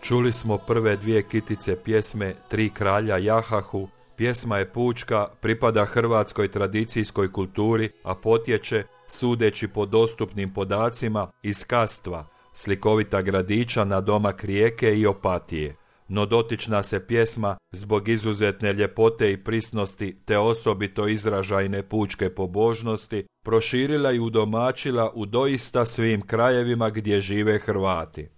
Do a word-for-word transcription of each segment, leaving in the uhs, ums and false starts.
Čuli smo prve dvije kitice pjesme Tri kralja Jahahu. Pjesma je pučka, pripada hrvatskoj tradicijskoj kulturi, a potječe, sudeći po dostupnim podacima, iz Kastva, slikovita gradića na domak Rijeke i Opatije. No dotična se pjesma, zbog izuzetne ljepote i prisnosti te osobito izražajne pučke pobožnosti, proširila i udomačila u doista svim krajevima gdje žive Hrvati.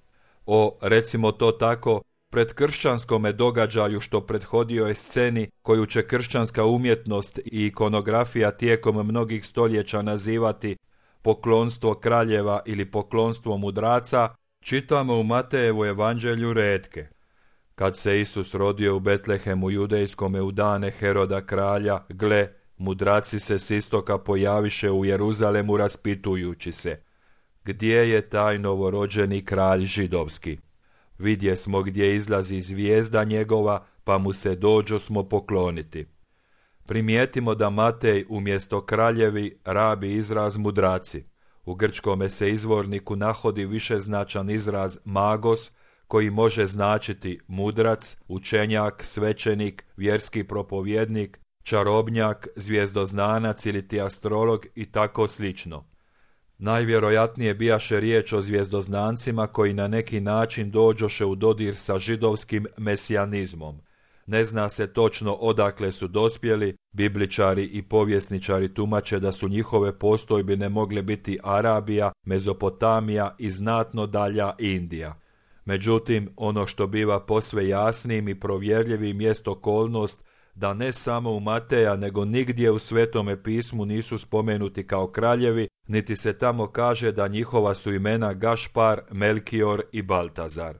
O, recimo to tako, predkršćanskome događaju što prethodio je sceni koju će kršćanska umjetnost i ikonografija tijekom mnogih stoljeća nazivati poklonstvo kraljeva ili poklonstvo mudraca, čitamo u Matejevu evanđelju retke. Kad se Isus rodio u Betlehemu judejskome u dane Heroda kralja, gle, mudraci se s istoka pojaviše u Jeruzalemu raspitujući se: gdje je taj novorođeni kralj židovski? Vidje smo gdje izlazi zvijezda njegova, pa mu se dođo smo pokloniti. Primijetimo da Matej umjesto kraljevi rabi izraz mudraci. U grčkome se izvorniku nahodi višeznačan izraz magos, koji može značiti mudrac, učenjak, svećenik, vjerski propovjednik, čarobnjak, zvijezdoznanac ili ti astrolog i tako slično. Najvjerojatnije bijaše riječ o zvijezdoznancima koji na neki način dođoše u dodir sa židovskim mesijanizmom. Ne zna se točno odakle su dospjeli, bibličari i povjesničari tumače da su njihove postojbine mogle biti Arabija, Mezopotamija i znatno dalja Indija. Međutim, ono što biva posve jasnim i provjerljivim jest okolnost da ne samo u Mateja nego nigdje u Svetome pismu nisu spomenuti kao kraljevi, niti se tamo kaže da njihova su imena Gašpar, Melkior i Baltazar.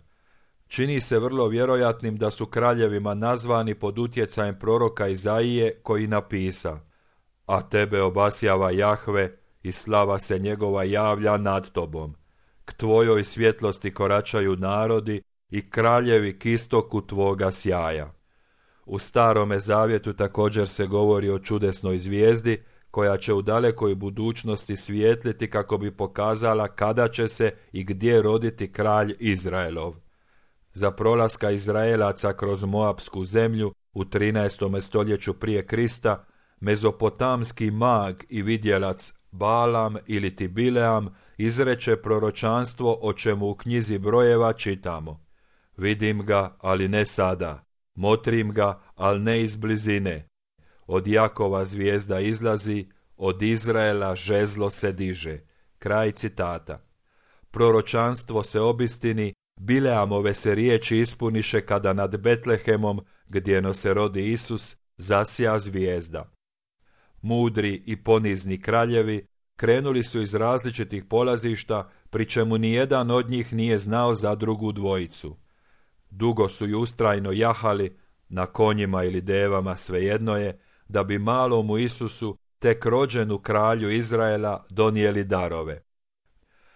Čini se vrlo vjerojatnim da su kraljevima nazvani pod utjecajem proroka Izaije koji napisa: a tebe obasjava Jahve i slava se njegova javlja nad tobom. K tvojoj svjetlosti koračaju narodi i kraljevi k istoku tvoga sjaja. U Starome zavjetu također se govori o čudesnoj zvijezdi koja će u dalekoj budućnosti svijetliti kako bi pokazala kada će se i gdje roditi kralj Izraelov. Za prolaska Izraelaca kroz Moapsku zemlju u trinaestom stoljeću prije Krista, mezopotamski mag i vidjelac Balam ili ti Bileam izreče proročanstvo o čemu u knjizi brojeva čitamo: vidim ga, ali ne sada, motrim ga, ali ne iz blizine. Od Jakova zvijezda izlazi, od Izraela žezlo se diže. Kraj citata. Proročanstvo se obistini, Bileamove se riječi ispuniše kada nad Betlehemom, gdje se rodi Isus, zasja zvijezda. Mudri i ponizni kraljevi krenuli su iz različitih polazišta, pri čemu nijedan od njih nije znao za drugu dvojicu. Dugo su ju ustrajno jahali, na konjima ili devama, svejedno je, da bi malomu Isusu, tek rođenu kralju Izraela, donijeli darove.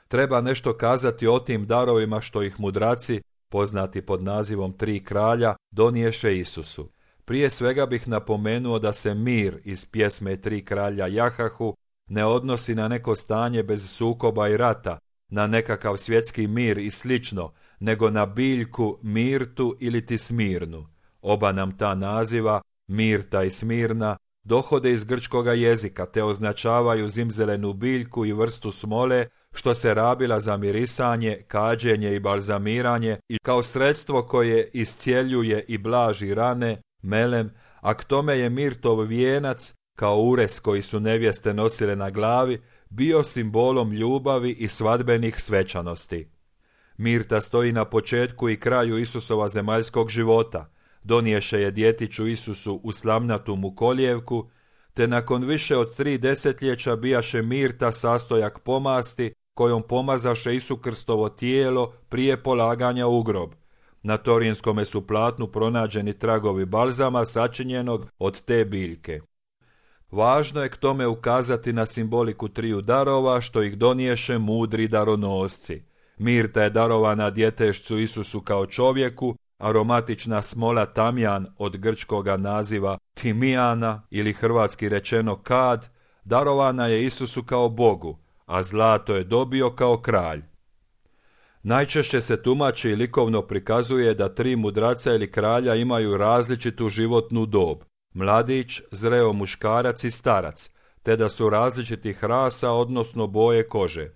Treba nešto kazati o tim darovima što ih mudraci, poznati pod nazivom Tri kralja, doniješe Isusu. Prije svega bih napomenuo da se mir iz pjesme Tri kralja Jahahu ne odnosi na neko stanje bez sukoba i rata, na nekakav svjetski mir i slično, nego na biljku Mirtu ili ti Smirnu. Oba nam ta naziva, Mirta i Smirna, dohode iz grčkoga jezika te označavaju zimzelenu biljku i vrstu smole što se rabila za mirisanje, kađenje i balzamiranje i kao sredstvo koje iscjeljuje i blaži rane, melem, a k tome je mirtov vijenac, kao ures koji su nevjeste nosile na glavi, bio simbolom ljubavi i svadbenih svečanosti. Mirta stoji na početku i kraju Isusova zemaljskog života, doniješe je djetiću Isusu u slamnatu mu kolijevku, te nakon više od tri desetljeća bijaše Mirta sastojak pomasti kojom pomazaše Isu Krstovo tijelo prije polaganja u grob. Na torinskome su platnu pronađeni tragovi balzama sačinjenog od te biljke. Važno je k tome ukazati na simboliku triju darova što ih doniješe mudri daronosci. Mirta je darovana djetešcu Isusu kao čovjeku, aromatična smola tamjan od grčkoga naziva timijana ili hrvatski rečeno kad, darovana je Isusu kao Bogu, a zlato je dobio kao kralj. Najčešće se tumači i likovno prikazuje da tri mudraca ili kralja imaju različitu životnu dob, mladić, zreo muškarac i starac, te da su različitih rasa, odnosno boje kože.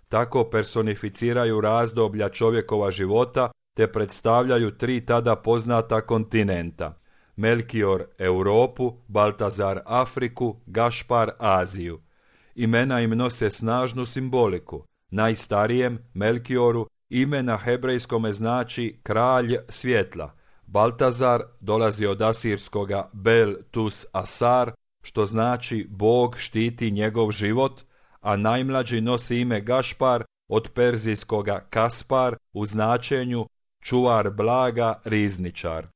Tako personificiraju razdoblja čovjekova života, te predstavljaju tri tada poznata kontinenta: Melkior Europu, Baltazar Afriku, Gašpar Aziju. Imena im nose snažnu simboliku. Najstarijem, Melkioru, ime na hebrejskome znači kralj svjetla. Baltazar dolazi od asirskoga Bel Tus Asar, što znači Bog štiti njegov život, a najmlađi nosi ime Gašpar od perzijskoga Kaspar u značenju čuvar blaga, rizničar.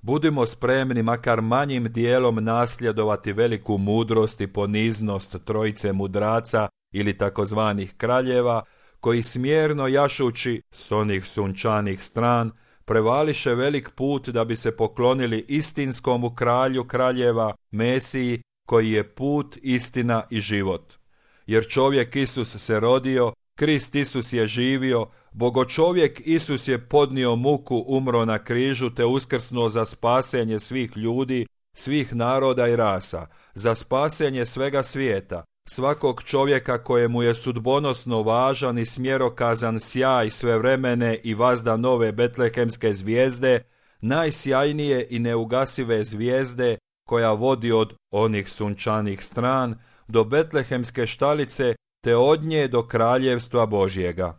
Budimo spremni makar manjim dijelom nasljedovati veliku mudrost i poniznost trojice mudraca ili takozvanih kraljeva, koji smjerno jašući s onih sunčanih stran prevališe velik put da bi se poklonili istinskomu kralju kraljeva, Mesiji, koji je put, istina i život. Jer čovjek Isus se rodio, Krist Isus je živio, Bogočovjek Isus je podnio muku, umro na križu te uskrsnuo za spasenje svih ljudi, svih naroda i rasa, za spasenje svega svijeta, svakog čovjeka kojemu je sudbonosno važan i smjerokazan sjaj svevremene i vazda nove betlehemske zvijezde, najsjajnije i neugasive zvijezde koja vodi od onih sunčanih stran do betlehemske štalice te od nje do kraljevstva Božjega.